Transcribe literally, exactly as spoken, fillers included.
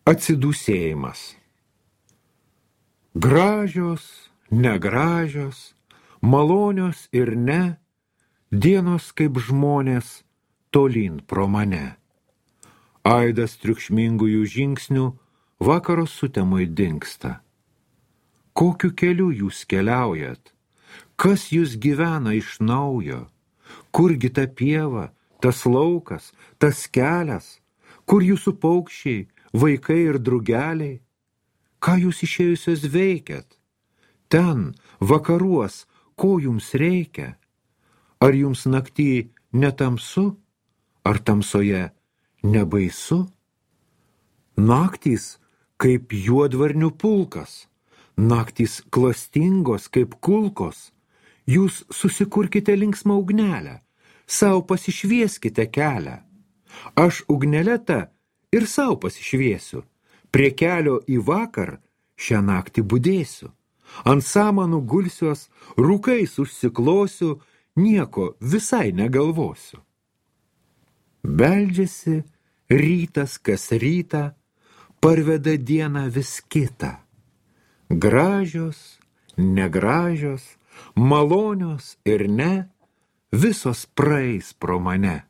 Atsidūsėjimas. Gražios, negražios, malonios ir ne, dienos kaip žmonės tolyn pro mane. Aidas triukšmingųjų žingsnių vakaro sutemoj dingsta. Kokiu keliu jūs keliaujat? Kas jūs gyvena iš naujo? Kurgi ta pieva, tas laukas, tas kelias? Kur jūsų paukščiai, vaikai ir drugeliai? Ką jūs išėjusios veikiat? Ten, vakaruos, ko jums reikia? Ar jums naktį netamsu? Ar tamsoje nebaisu? Naktys kaip juodvarnių pulkas, naktys klastingos kaip kulkos. Jūs susikurkite linksmą ugnelę, sau pasišvieskite kelią. Aš ugnelę ir sau pasišviesiu, prie kelio į vakar šią naktį budėsiu. Ant samanų gulsiuos, rūkais užsiklosiu, nieko visai negalvosiu. Beldžiasi rytas kas rytą, parveda dieną vis kitą. Gražios, negražios, malonios ir ne, visos praeis pro mane.